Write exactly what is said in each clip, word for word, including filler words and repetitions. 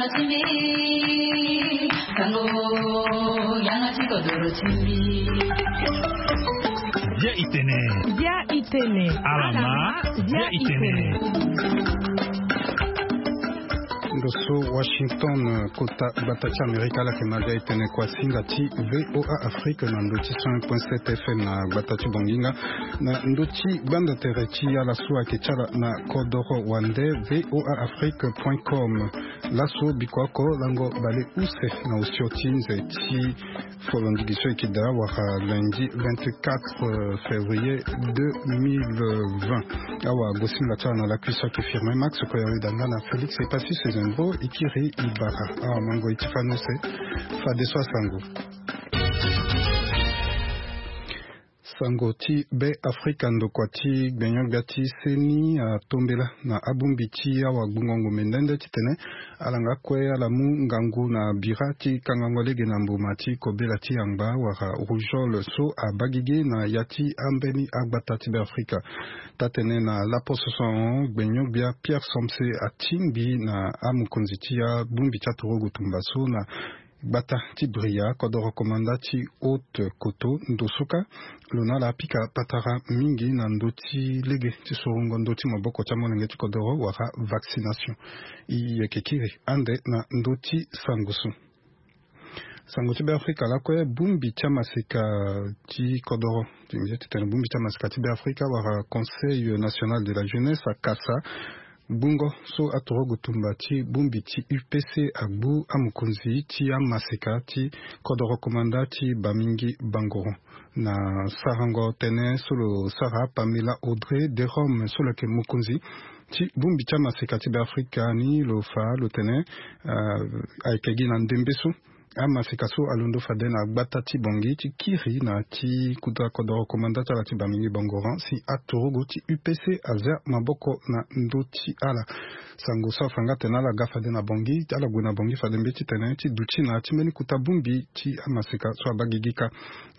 Dia itene. Dia itene. Alama. Dia itene. Ndo so Washington, kota gbata ti Amerika, ala yeke ma dia itene kua singa ti VOA Afrique na ndo ti cent un point sept F M na gbata ti Bonginga. Na ndo ti gbanda tere ti ala so ayeke ti ala na kodoro wande, voa afrique point com. Laso biko oko lango bale use na osio ti nze ti folondigi so eke daa wala lundi vingt-quatre février deux mille vingt. Awa gosinga ti ala na lakui so ayeke Firmin Max Koyari Danga na Félix Epassus Ezenbo Ikiri Ibara. Awa mango ye ti fani use, fadeso asango. Sango ti Be Afrika, ndokua ti gbenyo-gbia ti seni atombela na abongbi ti awagbungo ngombe nde nde titene ala nga kue ala mu ngangu na bira ti kangango lege na mbuma ti kobela ti yangba wala rougeole so abaa gigi na ya ti ambeni agbata ti Be Afrika. Taa-tene na laposo so ahon, gbenyo-gbia Pierre Somse atingbi na amokonzi ti abongbi ti aturugu tumba so na gbata ti Bria, kodoro komanda ti Haute Koto, ndo so kâ lo na ala apika patara mingi na ndö ti lege ti sorongo ndö ti maboko ti amolenge ti kodoro wala vaccination. E yeke kiri ande na ndö ti sango so. Sango ti Be Afrika lakue, bongbi ti amaseka ti kodoro, ti titene bongbi ti amaseka ti Be Afrika wala Conseil National de la Jeunesse akasa gbungo so aturugu tumba ti bongbi ti U P C agbu amokonzi ti amaseka ti kodoro komanda ti Bamingi Bangoro. Na sarango tënë so lo sara, Pamela Audrey Derome so lo yeke mokonzi ti bongbi ti amaseka ti Be Afrika ni lo fa lo tene, ah, ayeke gi na ndembe so amaseka so alondo fade na gbata ti Bangui ti kiri na ti kuta kodoro komanda ti ala ti Bamingi Bangoro si aturugu ti U P C azia maboko na ndö ti ala. Sango so afa nga atene ala ga fade na Bangui, ala gue na Bangui fade mbeti tene ti duti na ya ti mbeni kuta bongbi ti amaseka so abaa gigi kâ.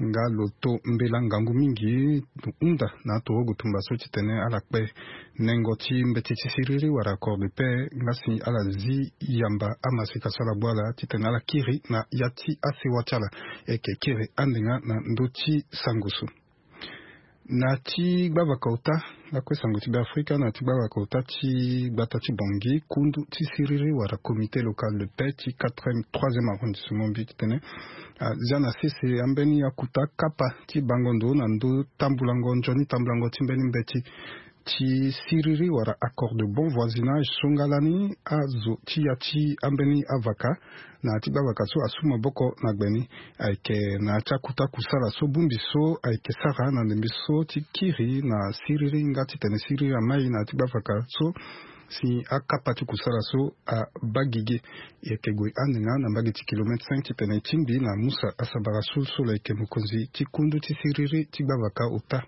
Nga lo to mbela ngangu mingi, lo hunda na aturugu tumba so titene ala kpe nengo ti mbeti ti siriri wala accord de paix, nga si ala zi yamba amaseka so ala gbu ala titene ala kiri na ya ti asewa ti ala. E yeke kiri ande nga na ndö ti sango so. Na ti gbavaka ota, lakue sango ti Be Afrika, na ti gbavaka ota ti gbata ti Bangui, kundu ti siriri wala comité local de paix ti quatrième, troisième arrondissement mbi titene, ah, zia na sese ambeni akuta kapa ti bango ndo na ndö tambulango, nzoni tambulango ti mbeni mbeti ti siriri wala accord de bon voisinage so nga lani azo ti ya ti ambeni avaka na ya ti gbavaka so asu maboko na gbe ni. Ayeke na ya ti akuta kusala so bongbi so ayeke sara na ndembe so ti kiri na siriri nga titene siriri amai na ya ti gbavaka so si akapa ti kusala so abaa gigi. E yeke gue ande nga na mbage ti kilomètre cinq titene e tingbi na Musa Asabara so, so lo yeke mokonzi ti kundu ti siriri ti gbavaka ota.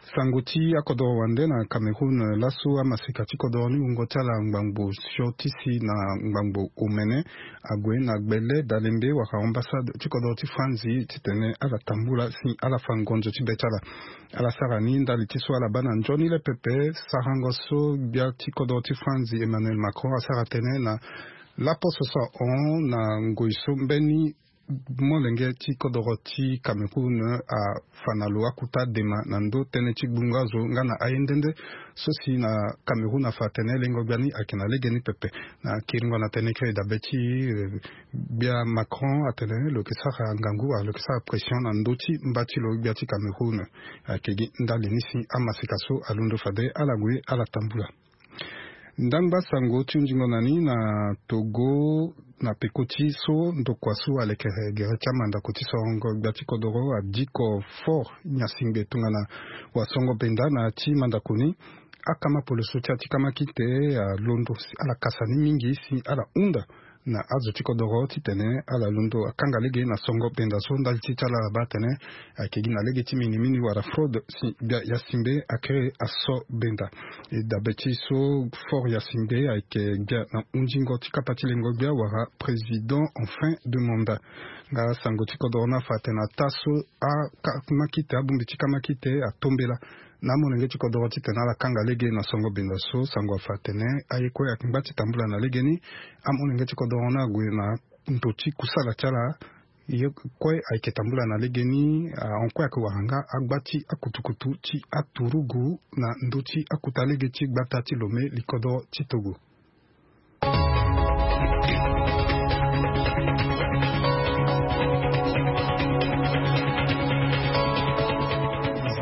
Sango ti akodoro wande na Cameroun, laso amaseka ti kodoro ni wungo ti ala ngbangbo sio ti si na ngbangbo omene ague na gbele dalembe wala ambassade ti kodoro ti Franzi titene ala tambula si ala fa ngonzo ti be ti ala. Ala sara ni ndali ti so ala baa na nzoni le pepe sarango so gbia ti kodoro ti Franzi Emmanuel Macron asara tënë na laposo so ahon na ngoi so mbeni molenge ti kodoro ti Cameroun afa na lo akuta dema na ndö tënë ti gbungo azo nga na aye nde nde so si na Cameroun afa atene lengo gbia ni ayeke na legeni pepe. Na kiringo na tënë kiri dabe ti, eh, gbia Macron atene lo yeke sara ngangu wala lo yeke sara pression na ndö ti mba ti lo gbia ti Cameroun. Ayeke gi ndali ni si amaseka so alondo fade ala gue ala tambula. Ndangba sango ti hunzingo na ni na Togo, na peko ti so ndokua so alekere gere ti amandako ti sorongo gbia ti kodoro adiko fort nyasingbe tongana wasongo benda na ya ti mandako ni. Akama poloso ti ya ti kama kite alondo si ala kasa ni mingi si ala hunda na azo ti kodoro titene ala londo akanga lege na songo benda so ndali ti ti ala ala baa atene ayeke gi na lege ti minimini wala fraude si gbia ya simbe akiri aso benda. E dabe ti so fort ya simbe ayeke gbia na hunzingo ti kapa ti lengo gbia wala président en fin de mandat. Nga sango ti kodoro ni afa atene ataa so akama kite, abongbi ti kama kite atombela Na amolenge ti kodoro titene ala kanga lege na songo benda so sango afa atene aye kue ayeke ngba ti tambula na legeni. Amolenge ti kodoro ni ague na ndo ti kusala ti ala. Ye kue ayeke tambula na legeni ahon kue ayeke wara nga agba ti akutukutu ti aturugu na ndo ti akuta lege ti gbata ti lome likodoro ti Togo.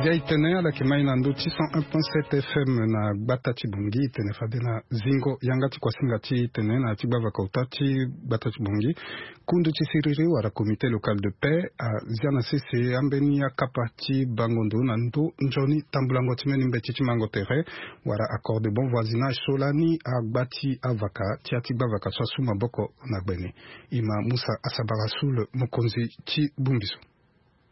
Zia itene ala yeke mai na ndo ti cent un point sept F M na gbata ti Bongi. Itene fade na zingo yanga ti kuasinga ti itene na ti gbavaka ota ti gbata ti Bongi. Kundu ti siriri wala comité local de paix azia na sese ambeni akapa ti bango ndo na ndo nzoni tambulango ti mbeni mbeti ti mango tere wala accord de bon voisinage so lani agba ti avaka ti ya ti gbavaka so asu maboko na gbene. Ima Musa Asabara Sul, mokonzi ti bongbi so.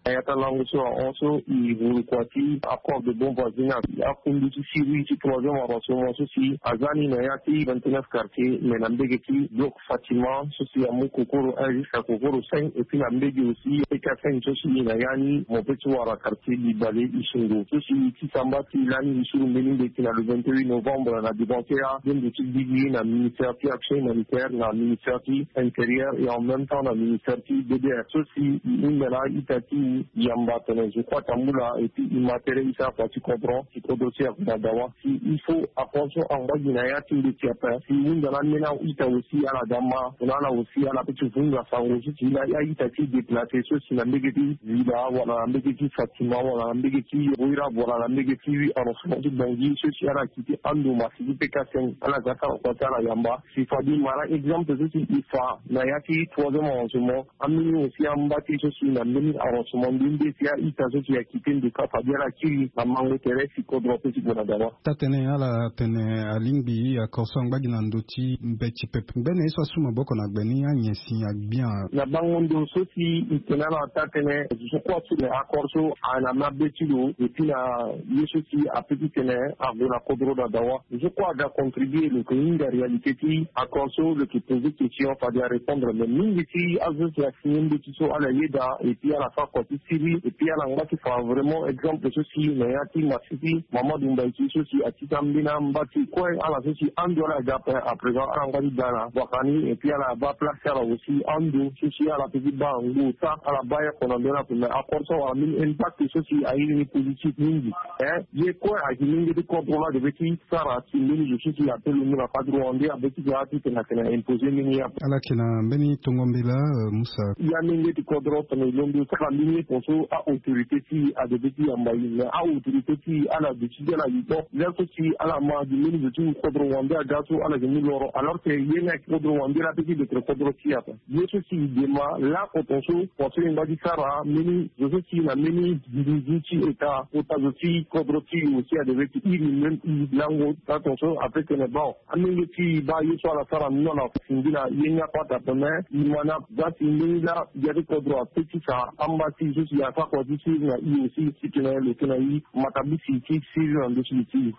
Ayata lango so ahon so i vuru kua ti accord de bon voisinage, akundu ti siriri ti troisième arrondissement so si aza ni na ya ti vingt-neuf quartier, mais na mbege ti bloc Fatima so si amu kokoro un jusqu'à kokoro cinq, et puis na mbege aussi P K cinq so si na ya ni mo pe ti wara quartier Bibale Isungo so si ti samba ti lani i suru mbeni mbeti na le vingt-huit novembre na devant T A, bendo ti gigi na ministère ti action humanitaire, na ministère ti intérieur et en même temps na ministère ti B D R so si i hunda na ita ti i yamba tene zo kue atambula et puis i ma tere i sara kua ti kodro si kodro ti ague na dawa. Si il faut akoso angba gi na ya ti mbeti ape si i hunda na ambeni a-ita aussi ala ga ma tongana ala aussi ala pe ti vunga sango so si la a-ita ti déplacer so si na mbege ti Zila wala na mbege ti Fatima wala na mbege ti Boirab wala na mbege ti arrondissement ti Bangui so si ala kiti ando ma si ti P K cinq ala ga sara kua ti ala yamba. Si fade mara exemple so si i fa na ya ti troisième arrondissement, ambeni aussi amba ti so si na mbeni arrondissement nde nde si a-ita so si akite ndo kâ fade ala kiri na mango tere si kodro ape ti gue na dawa. Taa-tënë ala tene alingbi accord so angba gi na ndö ti mbeti pepe ngbene ye so asu maboko na gbe ni anyen si agbia. Na bango ndo so si i tene ala taa-tënë zo so kue asu na accord so ayeke na mabe ti lo et puis na ye so si ape ti tene ague na kodro na dawa. Zo kue aga contribuer lo yeke hinga réalité ti accord so lo yeke poser question fade arépondre mais mingi ti azo so si asigner mbeti so ala yeda et puis ala fa kua ti siriri et puis ala ngba ti fa vraiment exemple so si na ya ti marché ti Mamadou Mbaïki so si atita mbeni amba ti kue ala so si ando ala ga ape à présent ala ngba ti da na bwaka ni et puis ala baa place ti ala aussi ando so si ala pe ti baa ngu ota ala baa ye oko na ndö ni ape mais accord so awara mbeni impact so si airi ni positif mingi. Hein, ye kue ayeke mingi ti kodro la de be ti sara si mbeni zo so si ape londo na fade rwandais abe ti ga ti tene atene imposer mbeni ye ape. Ala yeke na mbeni tongo mbela, euh, Musa. Ya mingi ti kodro tene e londo sara mbeni ye oko so a-autorité ti e ade be ti yamba e mais a-autorité ti e ala duti ti ala yi kpo. Lere so si ala ma gi mbeni zo ti kodro rwandais aga so ala yeke mu loro alors que ye ni ayeke kodro rwandais la ape ti betere kodro ti e ape. Ye so si e dema laoko tongaso kua so e ngba ti sara mbeni zo so si na mbeni nduzu ti eta kota zo ti kodro ti e aussi ade be ti iri même e lango taa tongaso ape tene bon. Amenge ti e baa ye so ala sara ni ala singila ye ni akpata ape mais e ma na za si mbeni laa ya ti kodro ape ti sa amba ti e so si asara kua ti siriri na e aussi si tena lo tena e matabisi ti siriri na ndö ti li ti e.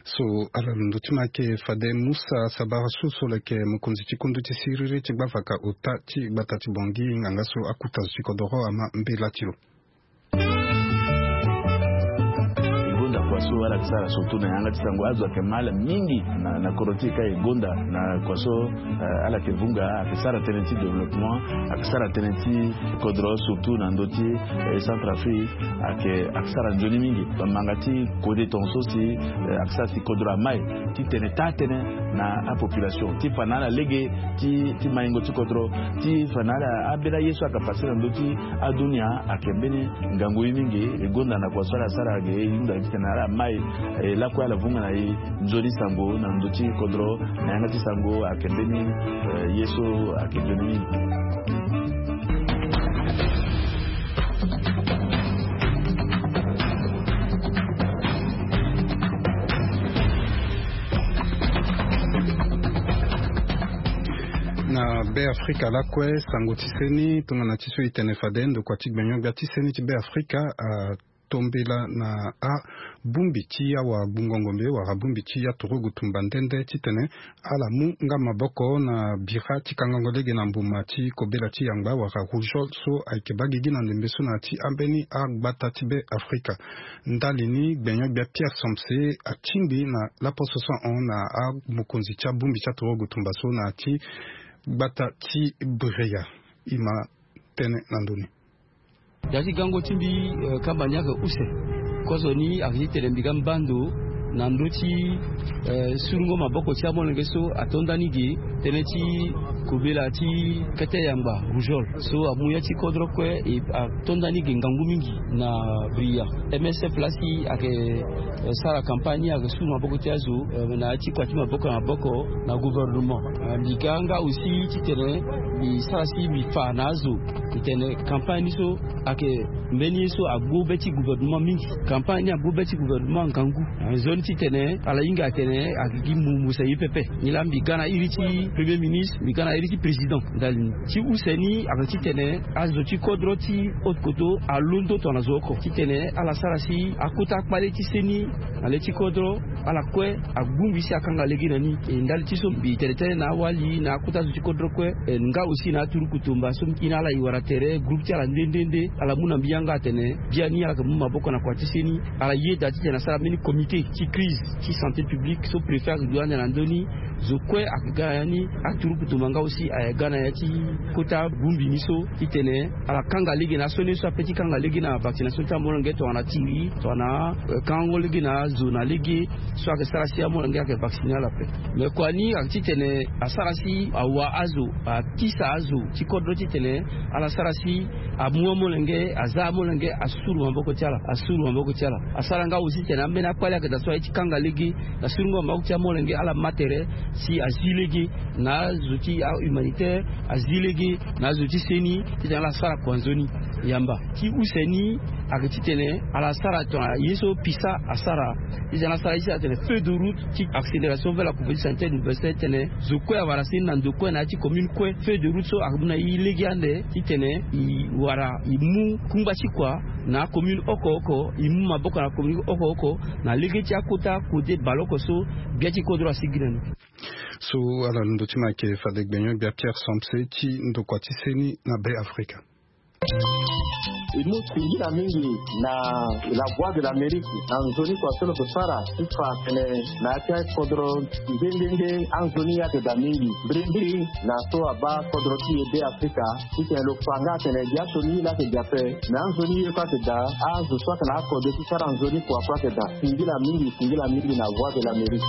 So ala londo ti ma ayeke fade Musa Sabara so so lo yeke mokonzi ti kundu ti siriri ti gbavaka ota ti gbata ti Bangui ngangaso akuta zo ti kodoro ama mbela ti lo. E gonda kua so ala yeke sara surtout na yanga ti sango azo ayeke ma ala mingi na, na kodro ti e ka e gonda na kua so, eh, ala yeke vunga ayeke sara tënë ti développement ayeke sara tënë ti kodro surtout na ndö ti, eh, Centrafrique. Ayeke, ayeke sara nzoni mingi. Bamanga ti kode tongaso si, eh, ayeke sara si kodro amai ti tene taa-tënë na apopulation ti fa na ala lege ti, ti maingo ti kodro ti fa na ala ambeni aye so ayeke pase na ndö ti adunia ayeke mbeni ngangu ye mingi. E gonda na kua so ala sara ge e hunda ti tene ala mai, eh, lakue ala vunga na e nzoni sango na ndö ti kodro na yanga ti sango ayeke mbeni, eh, ye so ayeke nzoni mingi. Na Be Afrika lakue sango ti seni tongana ti so e tene fade ndokua ti gbenyo-gbia ti seni ti Be Afrika, ah, atombela na abongbi ti awagbungo-ngombe wala bongbi ti aturugu tumba nde nde titene ala mu nga maboko na bira ti kangango lege na mbuma ti kobela ti yangba wala rougeole so ayeke baa gigi na ndembe so na ya ti ambeni agbata ti Be Afrika. Ndali ni gbenyo-gbia Pierre Somse atingbi na laposo so ahon na amokonzi ti abongbi ti aturugu tumba so na ya ti gbata ti Bria. E ma tene na ndö ni. Ya ti gango ti mbi, eh, kamba ni ayeke use. Kozo ni ayeke ti tene mbi ga mba ndo na ndö ti, eh, surungo maboko ti amolenge so ato nda ni ge tënë ti kobela ti kete yangba rougeole so amu ya ti kodro kue, e ato nda ni ge ngangu mingi na Bria. M S F laa si ayeke, eh, sara campagne ni ayeke suru maboko ti azo, eh, na ya ti kua ti maboko na maboko na gouvernement. Eh, mbi ga nga aussi titene mbi sara si mbi fa na azo titene campagne ni so ayeke mbeni ye so agbu be ti gouvernement mingi. Campagne ni agbu be ti gouvernement ngangu. Eh, nzoni titene ala hinga atene ayeke gi mu musa ye pepe. Nilaa mbi ga na iri ti premier ministre, mbi ga na iri ti président ndali ni. Ti use ni ayeke titene azo ti kodro ti haute koto alondo tongana zo oko titene ala sara si akota akpale ti seni na le ti kodro, ala kue agbongbi si akanga lege na ni. E ndali ti so mbi tene tënë na awali na akota zo ti kodro kue, e nga aussi na aturuku tumba so mbi na ala e wara tere groupe ti ala nde nde nde, ala mu na mbi yanga atene biani ala yeke mu maboko na kua ti seni, ala yeda titene asara mbeni comité ti crise ti santé publique so préfet ayeke duti ande na ndö ni. Zo kue ayeke ga na ya ni, aturuku tumba nga aussi ayeke ga na ya ti kota bongbi ni so titene ala kanga lege na asioni so ape ti kanga lege na vaccination ti amolenge tongana tiri tongana, eh, kangango lege na azo na lege so ayeke sara si amolenge ayeke vacciner ala ape. Mais kua ni ayeke titene asara si awa azo, akisa azo ti kodro titene ala sara si amu amolenge, aza amolenge, asuru maboko ti ala, asuru maboko ti ala. Asara nga aussi titene ambeni akpale ayeke daa so aye ti kanga lege na surungo maboko ti amolenge, ala ma tere si azi lege na azo ti ahumanitaire, azi lege na azo ti seni titene ala sara kua nzoni. Yamba ti use ni ayeke titene ala sara tongana ye so pisa asara, titene ala sara ye so atene feu de route ti accélération vers la couverture sanitaire universelle, titene zo kue awara seni na ndo kue na ya ti commune kue, feu de route so amu na e lege ande titene e wara e mu kungba ti kua na commune oko oko, e mu maboko na commune oko oko na lege ti akota kode baleoko so gbia ti kodro asigi na ni. So ala londo ti ma ayeke fade gbenyo-gbia Pierre Somse ti ndokua ti seni na Be Afrika. E mu singila mingi na La Voix de l'Amérique na nzoni kua so lo yeke sara ti fa atene na ya ti akodro nde nde nde anzoni ye ayeke daa mingi mbirimbiri na so abaa kodro ti e Be Afrika, titene lo fa nga atene gi asioni ye laa ayeke gi ape, me anzoni ye kue ayeke daa, azo so ayeke na akode ti sara nzoni kua kue ayeke daa. Singila mingi, singila mingi na Voix de l'Amérique.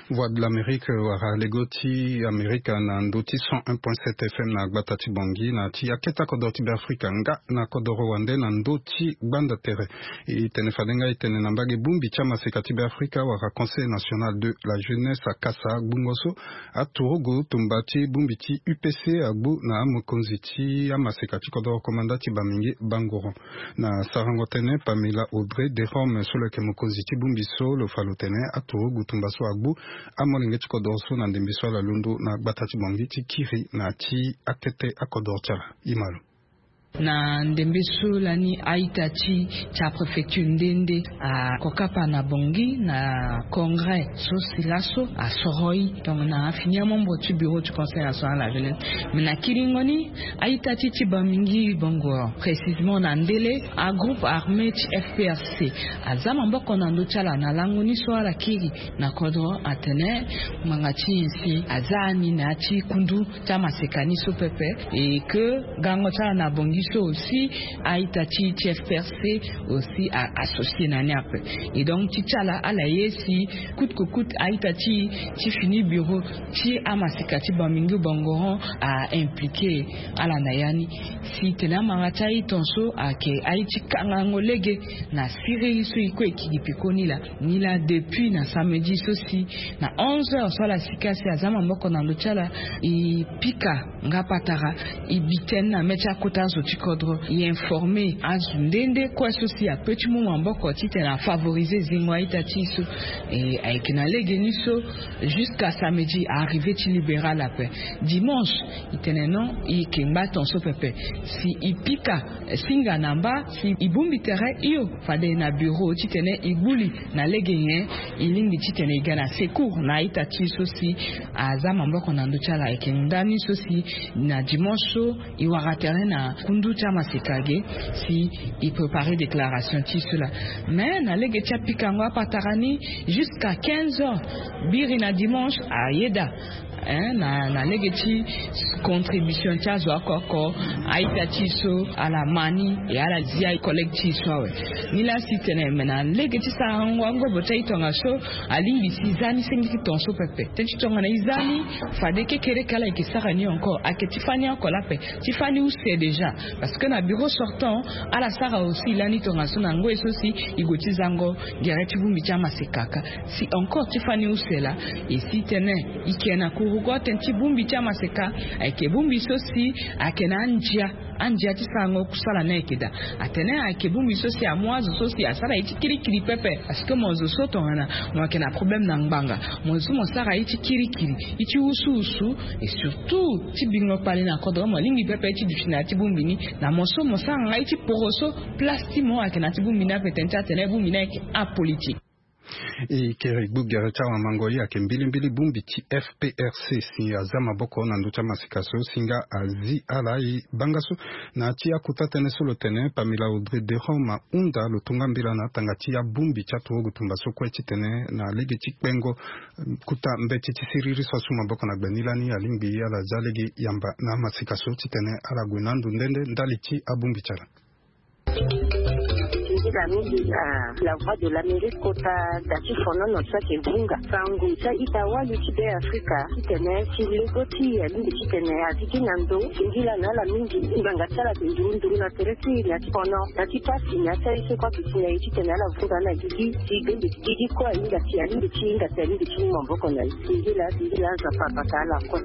Voix de l'Amérique, wala lego ti Amerika na ndö ti cent un point sept F M na gbata ti Bangui, na ti akete akodoro ti Be Afrika nga na kodoro wande na ndö ti gbanda tere. E tene fade nga e tene na mbage bongbi ti amaseka ti Be Afrika wala Conseil national de la jeunesse akasa gbungo so aturugu tumba ti bongbi ti U P C agbu na amokonzi ti amaseka ti kodoro komanda ti Bamingi Bangoro. Na sarango tënë, Pamela Audrey Derome so lo yeke mokonzi ti bongbi so lo fa lo tene aturugu tumba so agbu amolenge ti kodoro so na ndembe so ala londo na gbata ti Bangui ti kiri na ti akete akodoro ti ala. E ma lo. Na ndembe so lani a-ita ti, ti apréfecture nde nde akokapa na Bangui na congrès so si laso asoro e tongana afini amembre ti bureau ti Conseil national de la jeunesse. Me na kiringo ni, a-ita ti ti Bamingi Bangoro, précisément na ndele, agroupe armé ti F P R C aza maboko na ndö ti ala na lango ni so ala kiri na kodro atene ngbanga ti nyen si aza ni na ya ti kundu ti amaseka ni so pepe, et que gango ti ala na Bangui so aussi, a-ita ti, ti F P R C aussi a associé na ni ape. Et donc ti ti ala ala ye si coûte que coûte a-ita ti, ti fini bureau ti amaseka ti Bamingi Bangoro a impliqué ala na ya ni. Si tene amara ti a-ita so ayeke aye ti kangango lege na siriri so e kue e kiri pekoni laa. Ni laa depuis na samedi so si na onze heures so ala sika si aza maboko na ndö ti ala, e pika nga patara, e bi tënë na mê ti akota zo ti Kodro e informer azo nde nde kue so si ape ti mu maboko titene a favoriser zingo a-ita ti e so. E ayeke na lege ni so, jusqu'à samedi a arriver ti libéral ape. Dimanche e tene non, e yeke ngba ton so pepe. Si e pika singa na mba, si e bongbi tere hio, fade na bureau titene e gbu li na lege nyen e lingbi titene e ga na secours na a-ita ti e so si aza maboko na ndö ti ala. Ayeke ndani so si na dimanche so e wara tere na kundu ti amaseka ge si e préparer déclaration ti e so laa. Mais na lege ti apikango apatara ni, jusqu'à quinze heures biri na dimanche ayeda, hein, na, na lege ti contribution ti azo oko oko a-ita ti e so ala ma ni, e ala zi acollègue ti e so awe. Nilaa si tene me na lege ti sarango angobo ti a-e tongaso, alingbi si e za ni senge ti ton so pepe. Teti tongana e za ni, fade kekereke ala yeke sara ni encore, ayeke ti fani oko laa ape, ti fani use déjà. Parce que na bureau sortant ala sara aussi lani tongaso na ngoi so si e gue ti zango gere ti bongbi ti amaseka kâ. Si encore ti fani use laa, e si tene e yeke na kurugo tënë ti bongbi ti amaseka, ayeke bongbi so si ayeke na andia, andia ti sarango kusala ni ayeke daa. Atene ayeke bongbi so si amu azo so si asara ye ti kirikiri pepe. Parce que mo zo so tongana mo yeke na problème na ngbanga, mo zo so mo sara ye ti kirikiri, ye ti wusuwusu, et surtout ti bingo kpale na kodro, mo lingbi pepe ye ti duti na ya ti bongbi ni. Na mo so mo sara nga ye ti poroso place ti mo ayeke na ya ti bongbi ni ape, tënë ti atene bongbi ni ayeke apolitique. E kere gbu gere ti awamango, e ayeke mbilimbili bongbi ti F P R C si aza maboko na ndö ti amaseka so si nga azi ala. E banga so na ya ti akota tënë so lo tene Pamela Audrey Derome ahunda lo tonga mbela na atanga ti abongbi ti aturugu tumba so kue titene na lege ti kpengo kota mbeti ti siriri so asu maboko na gbe ni lani, alingbi ala za lege yamba na amaseka so titene ala gue na ando nde nde ndali ti abongbi ti ala. Nzila mingi na La Voix de l'Amérique kota da ti fonono so ayeke vunga sango ti a-ita wali ti Be Afrika titene ti lego ti e alingbi titene azi gi na ndo. Singila na ala mingi, ngbanga ti ala ayeke nduru nduru na tere ti e na ti fono, na ti pasi, na ya ti aye so kue ayeke si na e titene ala vunga na gigi ti bende ti gigi kue ahinga ti alingbi ti hinga ti alingbi ti mu maboko na e. Singila, singila, Nzapa abata ala kue.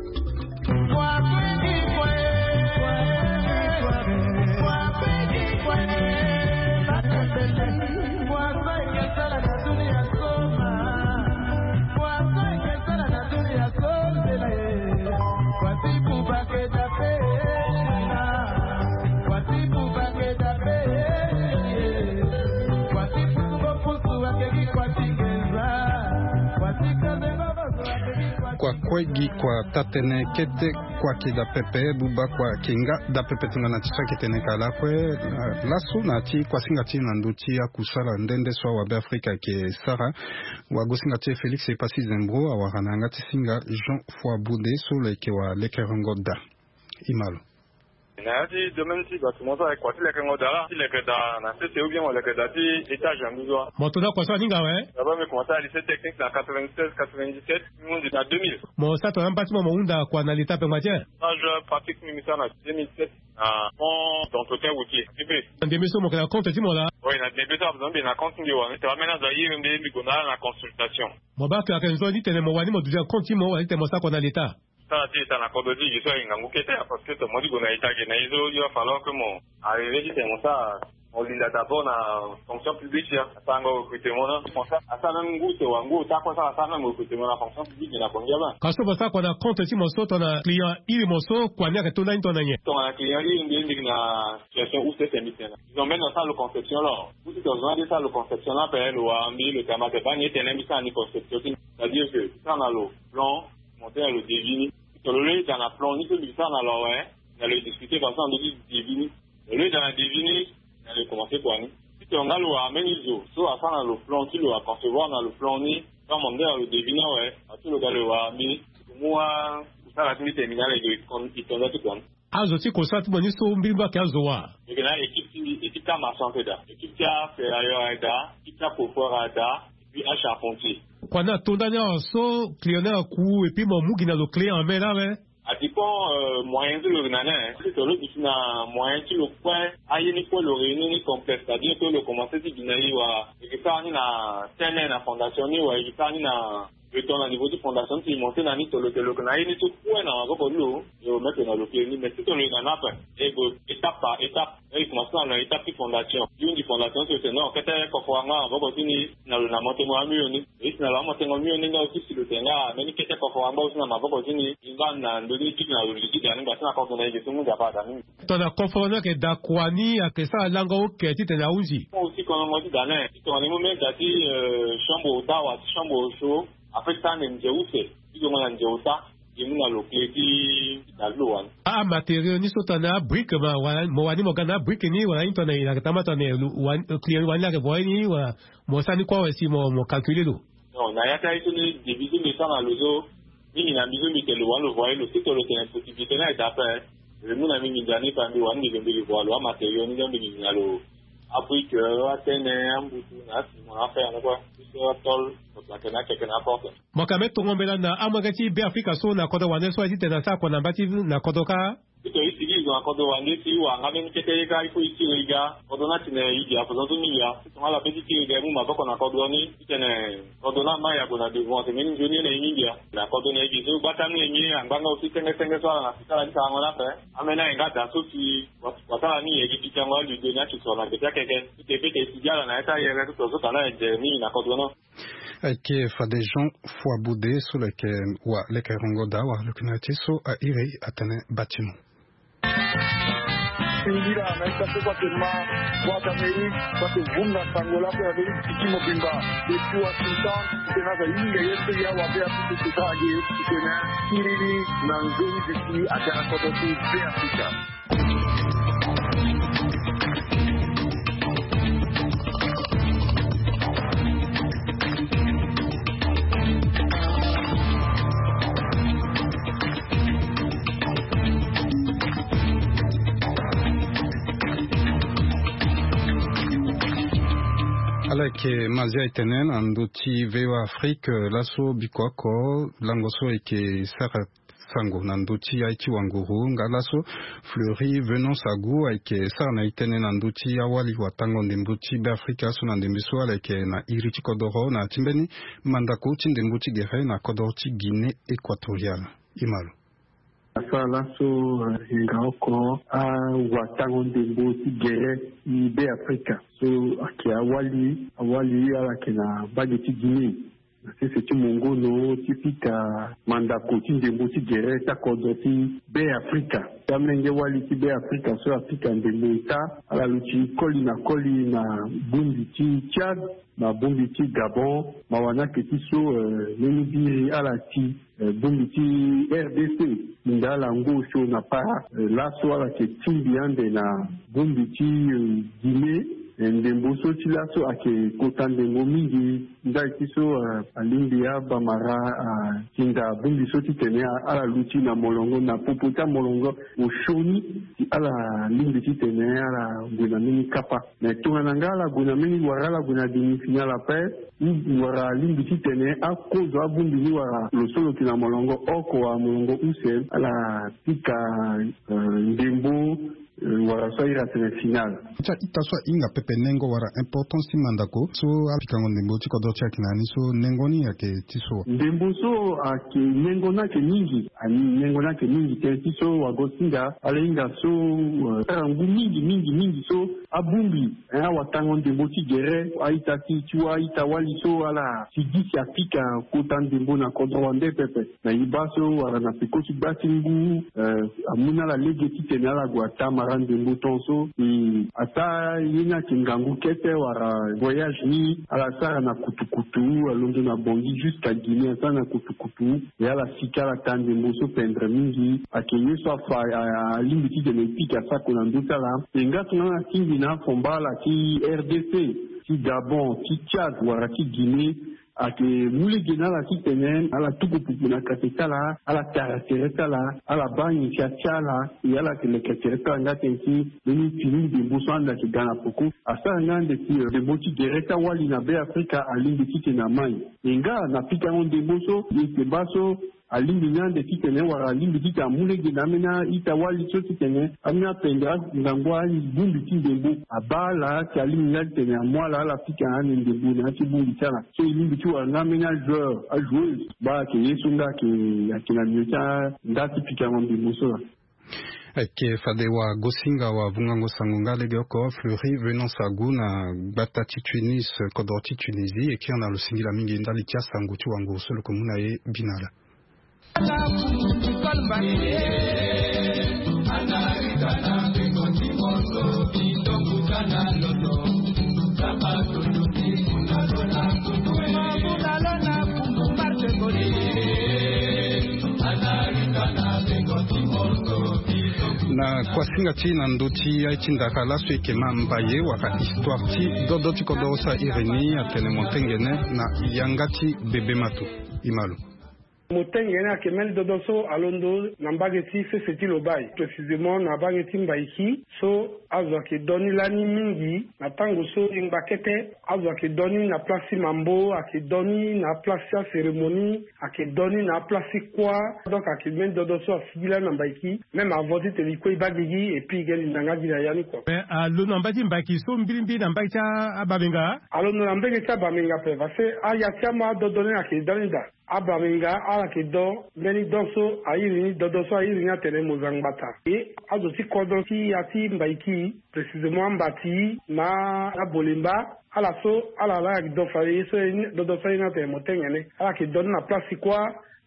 Kua kue gi kua taa-tënë kete, kua ke daa pepe, buba kua ke nga daa pepe tongana ti so ayeke tene ka lakue. Laso na ya ti kuasinga ti e na ndö ti akusala nde nde so awabe Afrika ayeke sara, wagosinga ti e Félix Epassi Zembro awara na yanga ti singa Jean Foi Bode so lo yeke wa lekerengo daa. E ma lo. Na ya ti domaine ti bâtiment so ayeke kua ti lekerengo daa laa, ti leke daa na sese ou bien mo leke daa ti étage na nduzu wa. Mo to na kua so aninga awe. D'abord mbi commencé na lycée technique na quatre-vingt-seize quatre-vingt-dix-sept, mbi hundi na deux mille. Mo sara tongana mbaa ti mo, mo hunda kua na leta ape ngba ti e? Stage pratique mbi, mbi sara na deux mille sept na fonds d'entretien routier, P P. Na ndembe so mo yeke na compte ti mo laa? Oui, na ndembe so, parce que mbi na compte ti mbi wa, mbi tene ambeni azo airi mbi, mbi gue na ala na consultation. Mo baa ke ayeke nzoni titene mo wani mo duti na compte ti mo wala titene mo sara kua na leta? Sara ti leta na kodro ti e ge so ayeke ngangu kete, parce que tongana mo ti gue na leta ge na ye so, il va falloir que mo arriver titene mo sara, mo linda d'abord na fonction publique ya, asarango recrutement na, mo sara, asara même ngu te wa ngu ota kue, asara, asara même recrutement na fonction publique na Bangui Aba. Ka so mo sara kua na compte ti mo so tongana client airi mo so, kua ni ayeke to ndani tongana nyen? Tongana client airi mbi, mbi yeke na situation use tene mbi tene. Ils ont même sara lo conception là. Ou si tongana mbi sara lo conception là, pe lo wa mbi, lo tene ma te baa ni e tene mbi sara ni conception ti ni. C'est-à-dire que sara na lo plan, monter na lo devis ni. Si tongana lo lê daa na plan ni so mbi sara na lo awe, na lo discuter façon na ndö ti devis ni. Lo lê daa na devis ni, na lo commencer kua ni. Si tongana nga lo wa ambeni zo so asara na lo plan ti lo, aconcevoir na lo plan ni, so amande na lo devis ni awe, ato lo ga lo wa mbi, lo mu akusala ti mbi tene mbi na ala e to nda ti kua ni. Azo ti kosala ti mo ni so mbi mbi ayeke azo wa? Mbi yeke na équipe ti mbi, équipe ti amarchand ayeke daa, équipe ti aferrailleur ayeke daa, équipe ti acoffreur ayeke daa, et puis acharpentier. Kua ni ato ndani awa so client ni aku et puis mo mu gi na lo client en main laa awe? A dépend, euh, moyen ti lo yeke na ni. Si tongana lo duti na moyen ti lo kue, aye ni kue lo réunir ni complet, c'est-à-dire que lo commencer ti gi na e wa, lo yeke sara ni na tene na fondation ni wa, lo yeke sara ni na Lo ton na niveau ti fondation ti monte na ni tolo tolo ke na ye ni so kue na maboko ni lo. Yo mete na lo kiri ni mais ti tolo na nape. E go étape par étape. E commence na na étape ti fondation. Yo ndi fondation ti lo tene non kete kofo wanga maboko ti ni. Na lo na monte mo amio ni. E si na lo amonte ngo mio ni nga aussi si lo tene nga meni kete kofo wanga aussi na maboko ti ni. Nga na ndo ni ti na lo liki dani nga si na koko na ye ke so mu dapa dani. Tongana kofo ni ayeke da kua ni ayeke sara lango oke titene ahunzi. Aussi kono mo ti dane tongana ni mu meni da ti chambre ota wa ti chambre oso. Après ti ande nze use ti zongo na nze ota. Ye mu na lo kle ti da lo wani. Amatériau ni so tongana abrike ma wala mo wani mo ga na abrike ni wala ni tongana e na tama tongana e client wani ayeke voye ni wala mo sara ni kue awe si mo mo calcule lo. Non na ya ti aye so ni début so mbi sara na lo so. Mingi na mbi so mbi tene lo wani lo voye lo si tongana lo tene possibilité ni aye da ape. Lo mu na mbi nginza ni fa mbi wani mbi lo mbi lo voye lo amatériau ni donc mbi nginza na lo. Abrike atene ambutu na asimo na afer na kue. Biso atol. Kotla tene akeke na aporte. Mo ka me tongo mbela na amolenge ti Beafrika so na kodro wande so aye titene asara kua na mba ti na kodro kâ. Titene e sigi e zo na kodro wande si e wara nga mbeni kete ye kâ il faut e tiri e ga. Kodro ni atene e gi apoison so mingi a. Titene ala be ti tiri e ga e mu maboko na kodro ni titene kodro ni amai ague na devant tene mbeni nzoni ye na e mingi a. Na kodro na e gi so gbata ni e nyen angba nga aussi tenge tenge so ala na sika ala ti sarango ni ape. Ambeni aye nga da so si wasara ni e gi pikango aludo ni ati so na gbe ti akeke. Titene e be tene e sigi ala na ya ti ayere so tongana so tana e de mingi na kodro ni. Ayeke fade Jean Foiboude so lo yeke wa lekerengo daa wala lo yeke na ya ti so a iri atene bâtiment. Singila na ita so kue ayeke ma Voix d'Amérique so ayeke vunga sango lakue na mbeni piki mobimba. Depuis Washington titene aza hinga ye so ya wabe apupu sika age titene siriri na nzoni duti aga na kodro ti Beafrika. Ala yeke mazia etene na ndö ti V O A Afrique laso biko oko lango so ayeke sara sango na ndö ti aye ti wanguru nga laso. Fleury Venance Agu ayeke sara na e tënë na ndö ti awali watango ndembo ti Beafrika so na ndembe so ala yeke na iri ti kodoro na ya ti mbeni mandako ti ndembo ti gere na kodoro ti Guinée Équatoriale. Imalo asara laso hinga oko awatango ndembo ti gere ti Beafrika so ayeke awali awali ala yeke na mbage ti Guinée. Na sese ti mongono ti pika mandako ti ndembo ti gere ti akodro ti Beafrika. Ti amolenge wali ti Beafrika so apika ndembo ota ala luti koli na koli na bongbi ti Tchad, na bongbi ti Gabon, mawa ni ayeke ti so mbeni biri ala ti bongbi ti R D C. Hinga ala ngu osio na para laso ala yeke tingbi ande na bongbi ti Guinée. Ndembo so ti laso ayeke kota ndembo mingi. Ndali ti so alingbi abamara atinda bongbi so titene ala luti na molongo na popo ti amolongo osioni si ala lingbi titene ala gue na mbeni kapa. Me tongana nga ala gue na mbeni wara ala gue na demi-finale ape. Wara alingbi titene akozo abongbi ni wara lo so lo yeke na molongo oko wala molongo use ala pika ndembo wala so airi atene finale. Ti a-ita so ahinga pepe nengo wara importance ti mandako so apikango ndembo ti kodro ti ayeke na ni so nengo ni ayeke ti so wa. Ndembo so ayeke nengo ni ayeke mingi. Ani nengo ni ayeke mingi tënë ti so wagosinga ala hinga so sara ngu mingi mingi mingi so abongbi awatango ndembo ti gere a-ita ti ti wa a-ita wali so ala sigi si apika kota ndembo na kodro wande pepe. Na e baa so wala na peko ti gba ti ngu amu na ala lege titene ala gue atamara ndembo tongaso. E ataa ye ni ayeke ngangu kete wala voyage ni ala sara na kutukutu alondo na Bangui jusqu'à Guinée asara na kutukutu. E ala sika ala taa ndembo so pendre mingi ayeke ye so afa alingbi titene e pika sako na ndö ti ala. E nga tongana ala tingbi na afomba ala ti R D C, ti Gabon, ti Tchad wala ti Guinée. Ayeke mu lege na ala titene ala tuku pupu na kate ti ala ala tara tere ti ala ala baa nyen si atia ala. E ala yeke leke tere ti ala nga tënë ti mbeni fini ndembo so ande ayeke ga na peko. Asara nga ande si ndembo ti gere ti awali na Beafrika alingbi titene amai. E nga na pikango ndembo so e yeke baa so Alingbi ni ande titene wala alingbi titene amu lege na ambeni a-ita-wali so titene ambeni apende angangu abongbi ti ndembo abaa ala si alingbi ni atitene amu ala ala pika ande ndembo na ya ti bongbi ti ala. So e lingbi ti wara nga ambeni ajoueur ajoueuse baa ayeke ye so nga ayeke ayeke na nio ti andaa ti pikango ndembo so laa. Ayeke fade wagosinga wavungango sango nga legeoko Fleury Venance Agu na gbata ti Tunis, kodro ti Tunisie, e kiri na lo singila mingi ndali ti asango ti wanguru so lo yeke mu na e bina laa. Na kuasinga ti na ndö ti aye ti ndaka laso e yeke ma mbaye wala histoire ti dodo ti kodoro so a iri ni atene motengene na yanga ti bebe mato. E ma lo. Motengene ayeke mbeni dodo so alondo na mbage ti sese ti Lobaye, précisément na mbage ti Mbaiki, so azo ayeke do ni lani mingi na tango so e ngba kete. Azo ayeke do ni na place ti mambo, ayeke do ni na place ti acérémonie, ayeke do ni na place ti kuâ. Donc ayeke mbeni dodo so asigi lani na Mbaiki, même avant titene e kue e baa gigi et puis e ga e linda nga gi na ya ni kua. Mais alondo na mbage ti Mbaiki so mbirimbiri na mbage ti a- abamenga? Alondo na mbage ti abamenga ape parce que aya ti ama adodo ni ayeke da ni daa. Abamenga ala yeke do mbeni do so a iri ni dodo so a iri ni atene Mozangbata. E azo ti kodro ti ya ti Mbaiki, précisément Ambati na Abolemba, ala so ala laa ayeke do fade ye so dodo so a iri ni atene motengene. Ala yeke do ni na place ti kuâ,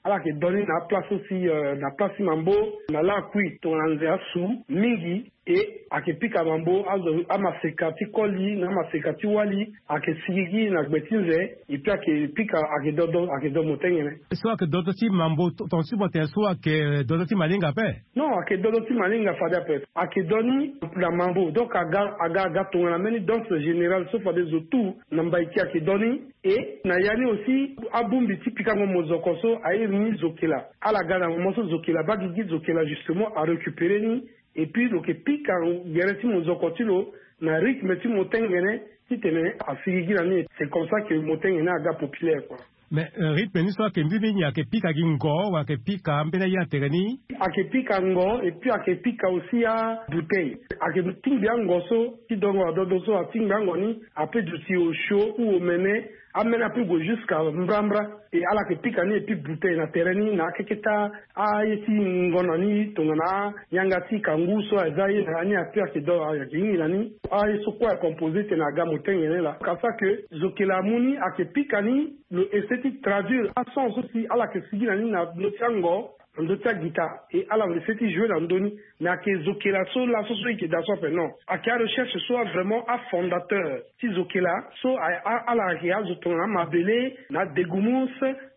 ala yeke do ni na aplace so si, euh, na place ti mambo, na lakui tongana nze asu mingi. E ayeke pika mambo azo amaseka ti koli na amaseka ti wali, ayeke sigigi na gbe ti nze. Et puis ayeke pika, ayeke dodo, ayeke do motengene. So ayeke dodo ti mambo to- tonga ti mo tene so ayeke dodo ti malinga ape? Non, ayeke dodo ti malinga fade ape. Ayeke do ni na mambo, donc aga aga aga tongana mbeni danse générale so fade zo tout na Mbaiki ayeke do ni. E na ya ni aussi abongbi ti pikango mozoko so a iri ni zokela. Ala ga na moment so zokela baa gigi, zokela justement arécupéré ni. Et puis lo yeke pika gere ti mozoko ti lo na rythme ti motengene titene asigigi na ni. C'est comme ça que motengene aga populaire kua. Mais, euh, rythme ni so ayeke mbirimbiri ni ayeke pika gi ngo wala ayeke pika ambeni aye na tere ni? Ayeke pika ngo et puis ayeke pika aussi abouteille. Ayeke tingbi ango so ti dongo adodo so atingbi ango ni, ape duti osio ou omene, ambeni ape gue jusqu'à mbrambra. E ala yeke pika ni et puis bouteille na tere ni na akeketa aye ti ngonda ni tongana yanga ti kangu so aza ye na ya ni ape ayeke do ayeke hingi na ni. Aye so kue ayeke composé tene aga motengene laa. Ka sa que zokela amu ni ayeke pika ni, lo essaie ti traduire ason so si ala yeke sigi na ni na ndö ti ango, na ndö ti agita. E ala lo essaie ti jouer na ndö ni. Mais ayeke zokela so laso so e yeke daa so ape non. Ayeke arecherche so avrément afondateur ti zokela so a- a- ala yeke azo tongana amabele na adegumus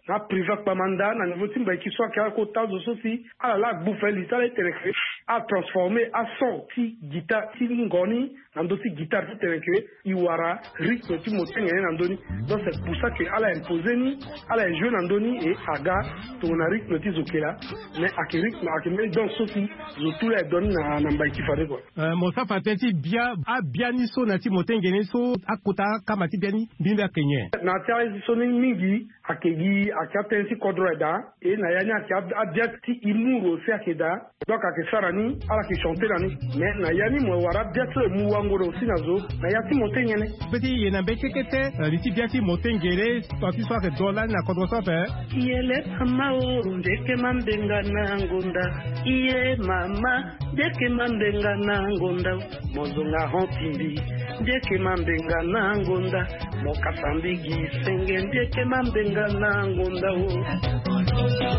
na apriva kpamanda na niveau ti Mbaiki so ayeke akota zo so si ala laa agbu fade li ti ala ti tene ke atransformé ason ti guitare ti ngo ni na ndö ti guitare ti tene ke e wara rythme ti motengene na ndö ni. Donc c'est pour ça que ala imposé ni, ala e joué na ndö ni et aga tongana rythme ti zokela. Mais ayeke rythme, ayeke mbeni danse so si zo tout laa e do ni na na Mbaiki fade kua. Euh, mo sara fa tënë ti bia abia ni so na ya ti motengene so akota akama ti bia ni mbirimbiri ayeke nyen? Na ya ti aye so ni mingi ayeke gi ayeke atënë ti kodro aye daa. E na ya ni ayeke ab- abia ti humour aussi ayeke daa. Donc ayeke sara ni, ala yeke chanté na ni. Mais na ya ni mo wara abia ti lo e mu wango na aussi na zo na ya ti motengene. Mbeti ye na mbeti kete, euh, li ti bia ti motengene, tonga ti so ayeke do lani na kodro so ape. Yele mama o, ndeke mambenga na ngonda. Iye mama, ndeke mambenga na ngonda. Mo zonga hon timbi, ndeke mambenga na ngonda. Mo kasa mbigi senge, ndeke mambenga na ngonda o.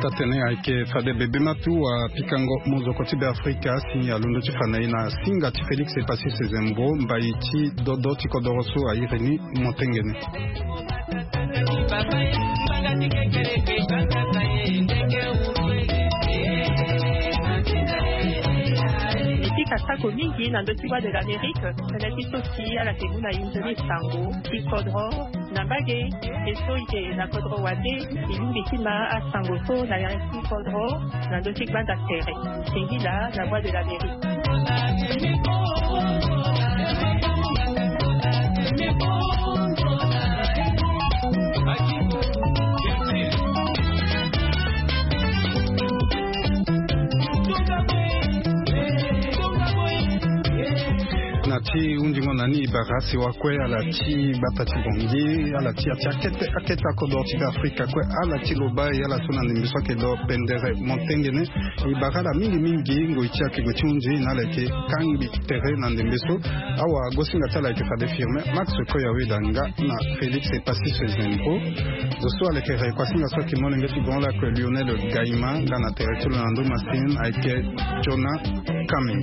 Taa-tene ayeke fade bebe matu apikango mozoko ti Beafrika si alondo ti fa na e na singa ti Félix Epassi Sezembo mbai ti dodo ti kodoro so a iri ni motengene. E pika sako mingi na ndö ti Voix de l'Amérique, tënë ti so si ala yeke mu na e nzoni sango ti kodro na mbage. E so e yeke na kodro wande, e lingbi ti ma asango so na yanga ti kodro na ndö ti gbanda tere. Singila na Voix de l'Amérique. Ti hundingo na ni ibara si wa kue ala ti gbata ti bongi, ala ti ati akete akete akodro ti be afrika kue, ala ti loba e ala so na ndembe so ayeke do pendere motengene. Ibara ala mingi mingi ngoi ti ayeke gue ti hundi na ala yeke kangbi tere na ndembe so. Awa gosinga ti ala yeke fade firme max koyawe danga na félix epassis zenpo. Zo so ala yeke re kuasinga so ayeke molenge ti gongo lakue lionel gaima nga na tere ti lo na ndo masine ayeke jona kame.